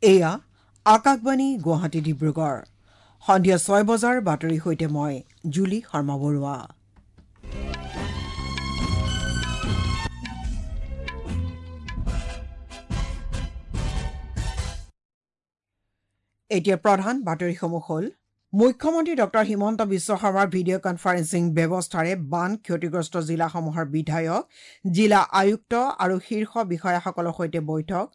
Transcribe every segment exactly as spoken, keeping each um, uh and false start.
এয়া আকাশবাণী গুৱাহাটী ডিব্ৰুগড়। সন্ধিয়া ছয় বজাৰ বাতৰিৰ সৈতে মই জুলি শৰ্মা বৰুৱা। এতিয়া প্ৰধান বাতৰিসমূহ হ'ল মুখ্যমন্ত্ৰী ডক্টৰ হিমন্ত বিশ্ব শৰ্মাৰ ভিডিঅ' কনফাৰেন্সিং ব্যৱস্থাৰে বান ক্ষতিগ্ৰস্ত জিলাসমূহৰ বিধায়ক, জিলা আয়ুক্ত আৰু শীৰ্ষ বিষয়াসকলৰ সৈতে বৈঠক।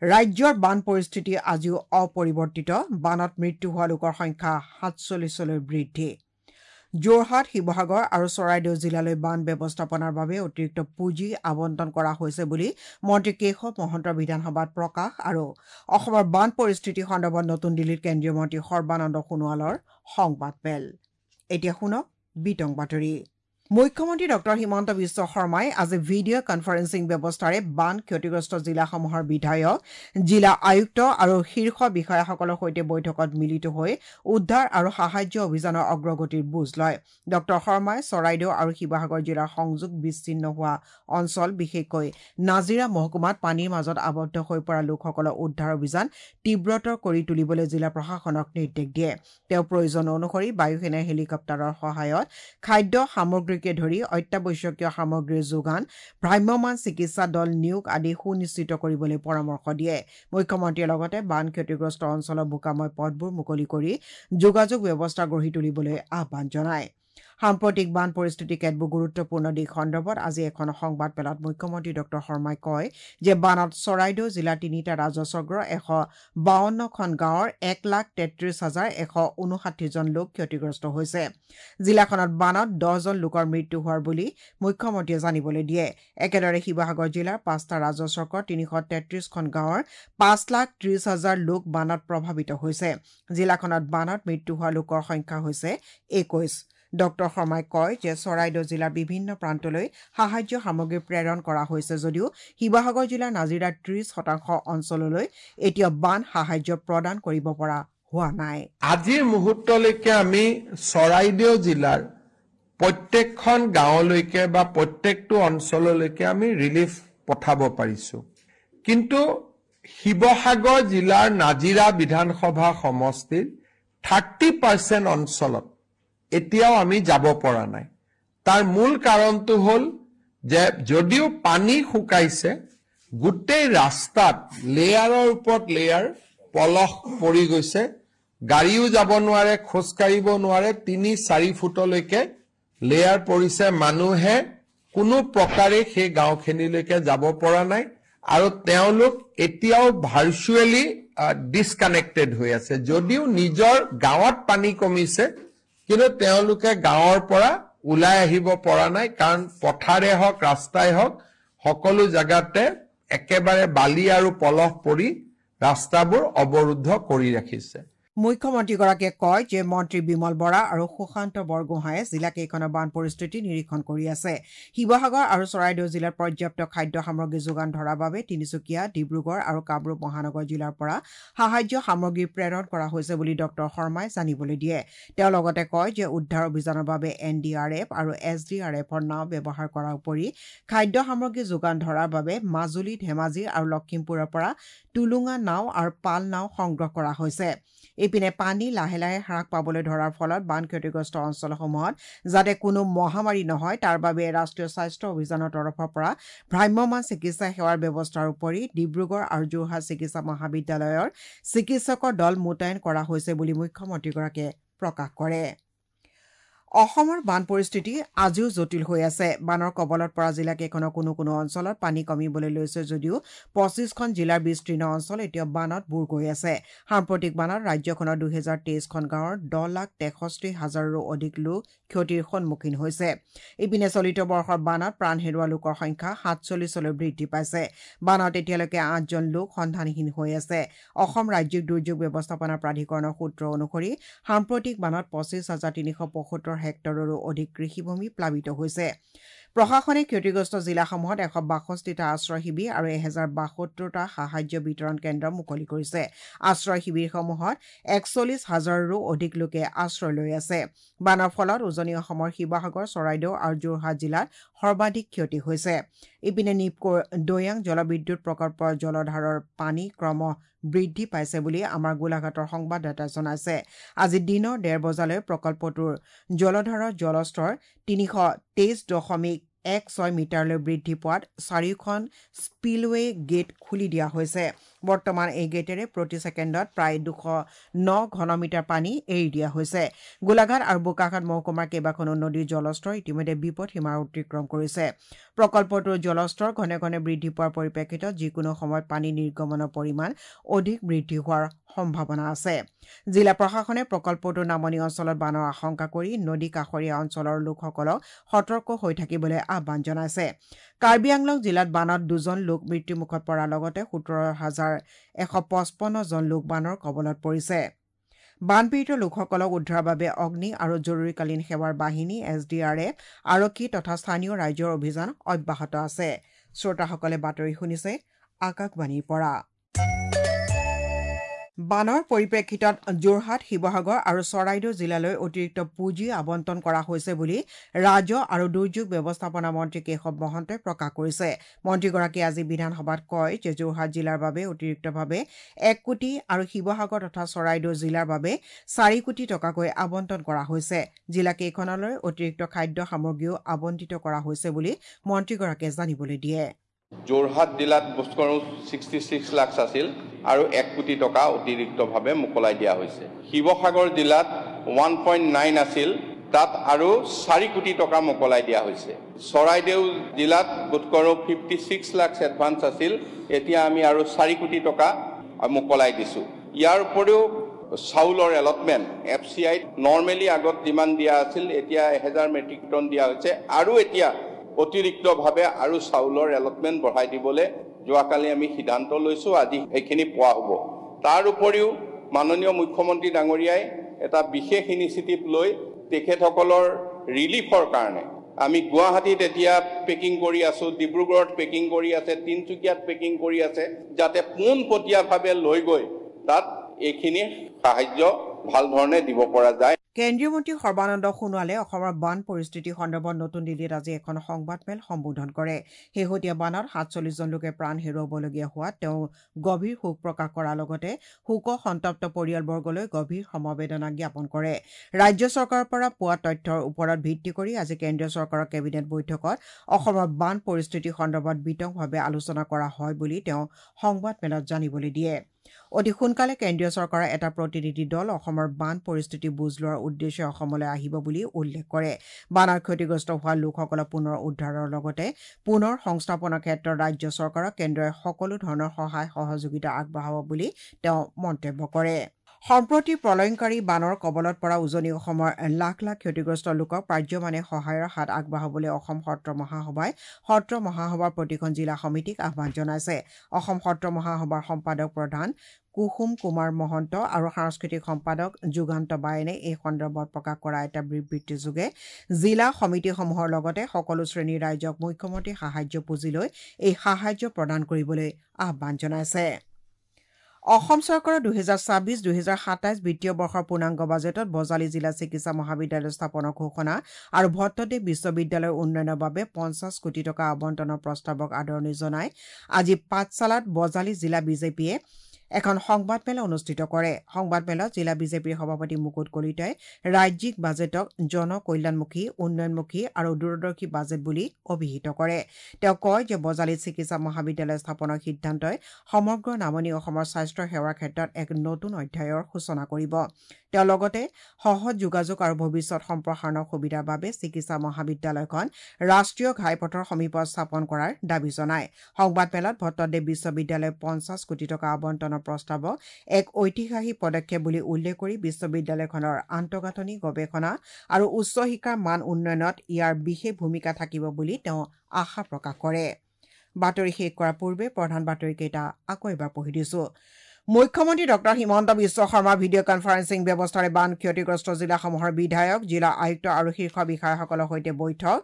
ৰাজ্যৰ বান পৰিস্থিতি আজিও অপৰিৱৰ্তিত, বানত মৃত্যু হোৱা লোকৰ সংখ্যা সাতচল্লিছলৈ বৃদ্ধি। যোৰহাট, শিৱসাগৰ আৰু চৰাইদেউ জিলালৈ বান ব্যৱস্থাপনাৰ বাবে অতিৰিক্ত পুঁজি আবণ্টন কৰা হৈছে বুলি মন্ত্ৰী কেশৱ মহন্তৰ বিধানসভাত প্ৰকাশ আৰু অসমৰ বান পৰিস্থিতি সন্দৰ্ভত নতুন দিল্লীত কেন্দ্ৰীয় মন্ত্ৰী সৰ্বানন্দ সোণোৱালৰ সংবাদমেল। এতিয়া শুনক বিতং বাতৰি। মুখ্যমন্ত্ৰী ডক্টৰ হিমন্ত বিশ্ব শৰ্মাই আজি ভিডিঅ' কনফাৰেন্সিং ব্যৱস্থাৰে বান ক্ষতিগ্ৰস্ত জিলাসমূহৰ বিধায়ক, জিলা আয়ুক্ত আৰু শীৰ্ষ বিষয়াসকলৰ সৈতে বৈঠকত মিলিত হৈ উদ্ধাৰ আৰু সাহায্য অভিযানৰ অগ্ৰগতিৰ বুজ লয়। ডক্টৰ শৰ্মাই চৰাইদেউ আৰু শিৱসাগৰ জিলাৰ সংযোগ বিচ্ছিন্ন হোৱা অঞ্চল, বিশেষকৈ নাজিৰা মহকুমাত পানীৰ মাজত আবদ্ধ হৈ পৰা লোকসকলৰ উদ্ধাৰ অভিযান তীব্ৰতৰ কৰি তুলিবলৈ জিলা প্ৰশাসনক নিৰ্দেশ দিয়ে। তেওঁ প্ৰয়োজন অনুসৰি বায়ুসেনাৰ হেলিকপ্টাৰৰ সহায়ত খাদ্য সামগ্ৰী ধৰি অত্যাৱশ্যকীয় সামগ্ৰীৰ যোগান, ভ্ৰাম্যমাণ চিকিৎসা দল নিয়োগ আদি সুনিশ্চিত কৰিবলৈ পৰামৰ্শ দিয়ে। মুখ্যমন্ত্ৰীয়ে লগতে বান ক্ষতিগ্ৰস্ত অঞ্চলৰ বোকাময় পথবোৰ মুকলি কৰি যোগাযোগ ব্যৱস্থা গঢ়ি তুলিবলৈ আহ্বান জনায়। সাম্প্ৰতিক বান পৰিস্থিতি কেতবোৰ গুৰুত্বপূৰ্ণ দিশ সন্দৰ্ভত আজি এখন সংবাদমেলত মুখ্যমন্ত্ৰী ডক্টৰ শৰ্মাই কয় যে বানত চৰাইদেউ জিলাৰ তিনিটা ৰাজহচক্ৰৰ এশ বাৱন্নখন গাঁৱৰ এক লাখ তেত্ৰিছ হাজাৰ এশ ঊনষাঠিজন লোক ক্ষতিগ্ৰস্ত হৈছে। জিলাখনত বানত দহজন লোকৰ মৃত্যু হোৱাৰ বুলি মুখ্যমন্ত্ৰীয়ে জানিবলৈ দিয়ে। একেদৰে শিৱসাগৰ জিলাৰ পাঁচটা ৰাজহচক্ৰৰ তিনিশ তেত্ৰিছখন গাঁৱৰ পাঁচ লাখ ত্ৰিছ হাজাৰ লোক বানত প্ৰভাৱিত হৈছে। জিলাখনত বানত মৃত্যু হোৱা লোকৰ সংখ্যা হৈছে একৈছ। ডক্টৰ শৰ্মাই কয় যে চৰাইদেউ জিলাৰ বিভিন্ন প্ৰান্তলৈ সাহায্য সামগ্ৰী প্ৰেৰণ কৰা হৈছে যদিও শিৱসাগৰ জিলাৰ নাজিৰাৰ ত্ৰিছ শতাংশ অঞ্চললৈ এতিয়া বান সাহায্য প্ৰদান কৰিব পৰা হোৱা নাই। আজিৰ মুহূৰ্তলৈকে আমি চৰাইদেউ জিলাৰ প্ৰত্যেকখন গাঁৱলৈকে বা প্ৰত্যেকটো অঞ্চললৈকে আমি ৰিলিফ পঠাব পাৰিছো, কিন্তু শিৱসাগৰ জিলাৰ নাজিৰা বিধানসভা সমষ্টিৰ থাৰ্টি পাৰ্চেণ্ট অঞ্চলত এতিয়াও আমি যাব পৰা নাই। তাৰ মূল কাৰণটো হ'ল যে যদিও পানী শুকাইছে, গোটেই ৰাস্তাত লেয়াৰৰ ওপৰত লেয়াৰ পলস পৰি গৈছে, গাড়ীও যাব নোৱাৰে, খোজকাঢ়িব নোৱাৰে, তিনি চাৰি ফুটলৈকে লেয়াৰ পৰিছে। মানুহে কোনো প্ৰকাৰে সেই গাঁওখিনিলৈকে যাব পৰা নাই আৰু তেওঁলোক এতিয়াও ভাৰ্চুৱেলি ডিছকানেক্টেড হৈ আছে। যদিও নিজৰ গাঁৱত পানী কমিছে, কিন্তু তেওঁলোকে গাঁৱৰ পৰা ওলাই আহিব পৰা নাই, কাৰণ পথাৰে হওক ৰাস্তাই হওক সকলো জেগাতে একেবাৰে বালি আৰু পলস পৰি ৰাস্তাবোৰ অৱৰুদ্ধ কৰি ৰাখিছে। মুখ্যমন্ত্ৰীগৰাকীয়ে কয় যে মন্ত্ৰী বিমল বৰা আৰু সুশান্ত বৰগোহাঁয়ে জিলাকেইখনৰ বান পৰিস্থিতি নিৰীক্ষণ কৰি আছে। শিৱসাগৰ আৰু চৰাইদেউ জিলাত পৰ্যাপ্ত খাদ্য সামগ্ৰী যোগান ধৰাৰ বাবে তিনিচুকীয়া, ডিব্ৰুগড় আৰু কামৰূপ মহানগৰ জিলাৰ পৰা সাহায্য সামগ্ৰী প্ৰেৰণ কৰা হৈছে বুলি ডক্টৰ শৰ্মাই জানিবলৈ দিয়ে। তেওঁ লগতে কয় যে উদ্ধাৰ অভিযানৰ বাবে এন ডি আৰ এফ আৰু এছ ডি আৰ এফৰ নাও ব্যৱহাৰ কৰাৰ উপৰি খাদ্য সামগ্ৰী যোগান ধৰাৰ বাবে মাজুলী, ধেমাজি আৰু লখিমপুৰৰ পৰা টুলুঙা নাও আৰু পাল নাও সংগ্ৰহ কৰা হৈছে। ইপিনে পানী লাহে লাহে হ্ৰাস পাবলৈ ধৰাৰ ফলত বান ক্ষতিগ্ৰস্ত অঞ্চলসমূহত যাতে কোনো মহামাৰী নহয় তাৰ বাবে ৰাষ্ট্ৰীয় স্বাস্থ্য অভিযানৰ তৰফৰ পৰা ভ্ৰাম্যমাণ চিকিৎসা সেৱাৰ ব্যৱস্থাৰ উপৰি ডিব্ৰুগড় আৰু যোৰহাট চিকিৎসা মহাবিদ্যালয়ৰ চিকিৎসকৰ দল মোতায়েন কৰা হৈছে বুলি মুখ্যমন্ত্ৰীগৰাকীয়ে প্ৰকাশ কৰে। অসমৰ বান পৰিস্থিতি আজিও জটিল হৈ আছে। বানৰ কবলত পৰা জিলাকেইখনৰ কোনো কোনো অঞ্চলত পানী কমিবলৈ লৈছে যদিও পঁচিছখন জিলাৰ বিস্তীৰ্ণ অঞ্চল এতিয়া বানত বুৰ গৈ আছে। সাম্প্ৰতিক বানত ৰাজ্যখনৰ দুহেজাৰ তেইছখন গাঁৱৰ দহ লাখ তেষষ্ঠি হাজাৰৰো অধিক লোক ক্ষতিৰ সন্মুখীন হৈছে। ইপিনে চলিত বৰ্ষৰ বানত প্ৰাণ হেৰুওৱা লোকৰ সংখ্যা সাতচল্লিছলৈ বৃদ্ধি পাইছে। বানত এতিয়ালৈকে আঠজন লোক সন্ধানহীন হৈ আছে। অসম ৰাজ্যিক দুৰ্যোগ ব্যৱস্থাপনা প্ৰাধিকৰণৰ সূত্ৰ অনুসৰি সাম্প্ৰতিক বানত পঁচিছ হাজাৰ তিনিশ পঁয়সত্তৰ হেক্টৰৰো অধিক কৃষিভূমি প্লাবিত হৈছে। প্ৰশাসনে ক্ষতিগ্ৰস্ত জিলাসমূহত এশ বাষষ্ঠিটা আশ্ৰয় শিবিৰ আৰু এহেজাৰ বাসত্তৰটা সাহায্য বিতৰণ কেন্দ্ৰ মুকলি কৰিছে। আশ্ৰয় শিবিৰসমূহত একচল্লিছ হাজাৰৰো অধিক লোকে আশ্ৰয় লৈ আছে। বানৰ ফলত উজনি অসমৰ শিৱসাগৰ, চৰাইদেউ আৰু যোৰহাট জিলাত সৰ্বাধিক ক্ষতি হৈছে। ইপিনে নিপকোৰ দৈয়াং জলবিদ্যুৎ প্ৰকল্পৰ জলধাৰৰ পানী ক্ৰম বৃদ্ধি পাইছে বুলি আমাৰ গোলাঘাটৰ সংবাদদাতাই জনাইছে। আজি দিনৰ ডেৰ বজালৈ প্ৰকল্পটোৰ জলধাৰৰ জলস্তৰ তিনিশ তেইছ দশমিক এক ছয় মিটাৰলৈ বৃদ্ধি পোৱাত চাৰিওখন স্পিলৱে গেট খুলি দিয়া হৈছে। বৰ্তমান এই গেটেৰে প্ৰতি ছেকেণ্ডত প্ৰায় দুশ ন ঘনমিটাৰ পানী এৰি দিয়া হৈছে। গোলাঘাট আৰু বোকাখাত মহকুমাৰ কেইবাখনো নদীৰ জলস্তৰ ইতিমধ্যে বিপদ সীমা অতিক্ৰম কৰিছে। প্ৰকল্পটোৰ জলস্তৰ ঘনে ঘনে বৃদ্ধি পোৱাৰ পৰিপ্ৰেক্ষিতত যিকোনো সময়ত পানী নিৰ্গমনৰ পৰিমাণ অধিক বৃদ্ধি হোৱাৰ সম্ভাৱনা আছে। জিলা প্ৰশাসনে প্ৰকল্পটোৰ নামনি অঞ্চলত বানৰ আশংকা কৰি নদী কাষৰীয়া অঞ্চলৰ লোকসকলক সতৰ্ক হৈ থাকিবলৈ আহ্বান জনাইছে। কাৰ্বি আংলং জিলাত বানত দুজন লোক মৃত্যুমুখত পৰাৰ লগতে সোতৰ হাজাৰ এশ পঁচপন্ন জন লোক বানৰ কবলত পৰিছে। বানপীড়িত লোকসকলক উদ্ধাৰৰ বাবে অগ্নি আৰু জৰুৰীকালীন সেৱাৰ বাহিনী, এছ ডি আৰ এফ, আৰক্ষী তথা স্থানীয় ৰাইজৰ অভিযান অব্যাহত আছে। শ্ৰোতাসকলে বাতৰি শুনিছে আকাশবাণীৰ পৰা। বানৰ পৰিপ্ৰেক্ষিতত যোৰহাট, শিৱসাগৰ আৰু চৰাইদেউ জিলালৈ অতিৰিক্ত পুঁজি আবণ্টন কৰা হৈছে বুলি ৰাজহ আৰু দুৰ্যোগ ব্যৱস্থাপনা মন্ত্ৰী কেশৱ মহন্তই প্ৰকাশ কৰিছে। মন্ত্ৰীগৰাকীয়ে আজি বিধানসভাত কয় যে যোৰহাট জিলাৰ বাবে অতিৰিক্তভাৱে এক কোটি আৰু শিৱসাগৰ তথা চৰাইদেউ জিলাৰ বাবে চাৰি কোটি টকাকৈ আবণ্টন কৰা হৈছে। জিলাকেইখনলৈ অতিৰিক্ত খাদ্য সামগ্ৰীও আবণ্টিত কৰা হৈছে বুলি মন্ত্ৰীগৰাকীয়ে জানিবলৈ দিয়ে। যোৰহাট জিলাত বোধ কৰোঁ ছিক্সটি ছিক্স লাখ আছিল আৰু এক কোটি টকা অতিৰিক্তভাৱে মোকলাই দিয়া হৈছে। শিৱসাগৰ জিলাত ওৱান পইণ্ট নাইন আছিল, তাত আৰু চাৰি কোটি টকা মোকলাই দিয়া হৈছে। চৰাইদেউ জিলাত বোধ কৰোঁ ফিফটি ছিক্স লাখ এডভান্স আছিল, এতিয়া আমি আৰু চাৰি কোটি টকা মোকলাই দিছোঁ। ইয়াৰ উপৰিও চাউলৰ এলটমেণ্ট এফ চি আইত নৰ্মেলি আগত যিমান দিয়া আছিল এতিয়া এহেজাৰ মেট্ৰিক টন দিয়া হৈছে আৰু এতিয়া অতিৰিক্তভাৱে আৰু চাউলৰ এলটমেণ্ট বঢ়াই দিবলৈ যোৱাকালি আমি সিদ্ধান্ত লৈছোঁ, আজি সেইখিনি পোৱা হ'ব। তাৰ উপৰিও মাননীয় মুখ্যমন্ত্ৰী ডাঙৰীয়াই এটা বিশেষ ইনিচিয়েটিভ লৈ তেখেতসকলৰ ৰিলিফৰ কাৰণে আমি গুৱাহাটীত এতিয়া পেকিং কৰি আছোঁ, ডিব্ৰুগড়ত পেকিং কৰি আছে, তিনিচুকীয়াত পেকিং কৰি আছে, যাতে পোনপটীয়াভাৱে লৈ গৈ তাত এইখিনি সাহায্য ভাল ধৰণে দিব পৰা যায়। কেন্দ্ৰীয় মন্ত্ৰী সৰ্বানন্দ সোণোৱালে অসমৰ বান পৰিস্থিতি সন্দৰ্ভত নতুন দিল্লীত আজি এখন সংবাদমেল সম্বোধন কৰে। শেহতীয়া বানত সাতচল্লিছজন লোকে প্ৰাণ হেৰুৱাবলগীয়া হোৱাত তেওঁ গভীৰ শোক প্ৰকাশ কৰাৰ লগতে শোক সন্তপ্ত পৰিয়ালবৰ্গলৈ গভীৰ সমবেদনা জ্ঞাপন কৰে। ৰাজ্য চৰকাৰৰ পৰা পোৱা তথ্যৰ ওপৰত ভিত্তি কৰি আজি কেন্দ্ৰীয় চৰকাৰৰ কেবিনেট বৈঠকত অসমৰ বান পৰিস্থিতি সন্দৰ্ভত বিতংভাৱে আলোচনা কৰা হয় বুলি তেওঁ সংবাদমেলত জানিবলৈ দিয়ে। অতি সোনকালে কেন্দ্ৰীয় চৰকাৰৰ এটা প্ৰতিনিধি দল অসমৰ বান পৰিস্থিতি বুজ লোৱাৰ উদ্দেশ্যে অসমলৈ আহিব বুলি উল্লেখ কৰে। বানত ক্ষতিগ্ৰস্ত হোৱা লোকসকলক পুনৰ উদ্ধাৰৰ লগতে পুনৰ সংস্থাপনৰ ক্ষেত্ৰত ৰাজ্য চৰকাৰক কেন্দ্ৰই সকলো ধৰণৰ সহায় সহযোগিতা আগবঢ়াব বুলি তেওঁ মন্তব্য কৰে। সম্প্ৰতি প্ৰলয়ংকাৰী বানৰ কবলত পৰা উজনি অসমৰ লাখ লাখ ক্ষতিগ্ৰস্ত লোকক পাৰ্যমানে সহায়ৰ হাত আগবঢ়াবলৈ অসম সত্ৰ মহাসভাই সত্ৰ মহাসভাৰ প্ৰতিখন জিলা সমিতিক আহ্বান জনাইছে। অসম সত্ৰ মহাসভাৰ সম্পাদক প্ৰধান কুসুম কুমাৰ মহন্ত আৰু সাংস্কৃতিক সম্পাদক যুগান্ত বায়নে এই সন্দৰ্ভত প্ৰকাশ কৰা এটা বিবৃতিযোগে জিলা সমিতিসমূহৰ লগতে সকলো শ্ৰেণীৰ ৰাইজক মুখ্যমন্ত্ৰী সাহায্য পুঁজিলৈ এই সাহায্য প্ৰদান কৰিবলৈ আহ্বান জনাইছে। অসম চৰকাৰৰ দুহেজাৰ ছাব্বিছ দুহেজাৰ সাতাইছ বিত্তীয় বৰ্ষৰ পূৰ্ণাংগ বাজেটত বজালী জিলা চিকিৎসা মহাবিদ্যালয় স্থাপনৰ ঘোষণা আৰু ভট্টদেৱ বিশ্ববিদ্যালয়ৰ উন্নয়নৰ বাবে পঞ্চাছ কোটি টকা আবণ্টনৰ প্ৰস্তাৱক আদৰণি জনাই আজি পাঠশালাত বজালী জিলা বিজেপিয়ে এখন সংবাদমেল অনুষ্ঠিত কৰে। সংবাদমেলত জিলা বিজেপিৰ সভাপতি মুকুট কলিতাই ৰাজ্যিক বাজেটক জনকল্যাণমুখী, উন্নয়নমুখী আৰু দূৰদৰ্শী বাজেট বুলি অভিহিত কৰে। তেওঁ কয় যে বজালীত চিকিৎসা মহাবিদ্যালয় স্থাপনৰ সিদ্ধান্তই সমগ্ৰ নামনি অসমৰ স্বাস্থ্য সেৱাৰ ক্ষেত্ৰত এক নতুন অধ্যায়ৰ সূচনা কৰিব। তেওঁ লগতে সহজ যোগাযোগ আৰু ভৱিষ্যত সম্প্ৰসাৰণৰ সুবিধাৰ বাবে চিকিৎসা মহাবিদ্যালয়খন ৰাষ্ট্ৰীয় ঘাইপথৰ সমীপত স্থাপন কৰাৰ দাবী জনায়। সংবাদমেলত ভট্টদেৱ বিশ্ববিদ্যালয়ে পঞ্চাছ কোটি টকা আবণ্টনৰ প্ৰস্তাৱক এক ঐতিহাসিক পদক্ষেপ বুলি উল্লেখ কৰি বিশ্ববিদ্যালয়খনৰ আন্তঃগাঁথনি, গৱেষণা আৰু উচ্চ শিক্ষাৰ মান উন্নয়নত ইয়াৰ বিশেষ ভূমিকা থাকিব বুলি তেওঁ আশা প্ৰকাশ কৰে। বাতৰি শেষ কৰাৰ পূৰ্বে প্ৰধান বাতৰিকেইটা আকৌ এবাৰ পঢ়ি দিছো। মুখ্যমন্ত্ৰী doctor Himanta Biswa Sarma video' conferencing ব্যৱস্থাৰে বান ক্ষতিগ্ৰস্ত জিলাসমূহৰ বিধায়ক, জিলা আয়ুক্ত আৰু শীৰ্ষ বিষয়াসকলৰ সৈতে বৈঠক।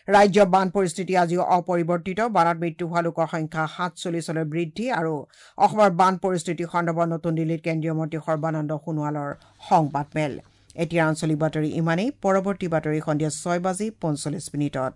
ৰাজ্যৰ বান পৰিস্থিতি আজিও অপৰিৱৰ্তিত, বানত মৃত্যু হোৱা লোকৰ সংখ্যা সাতচল্লিছলৈ বৃদ্ধি আৰু অসমৰ বান পৰিস্থিতি সন্দৰ্ভত নতুন দিল্লীত কেন্দ্ৰীয় মন্ত্ৰী সৰ্বানন্দ সোণোৱালৰ সংবাদমেল। এতিয়া আঞ্চলিক বাতৰি ইমানেই। পৰৱৰ্তী বাতৰি সন্ধিয়া ছয় বাজি পঞ্চল্লিছ মিনিটত।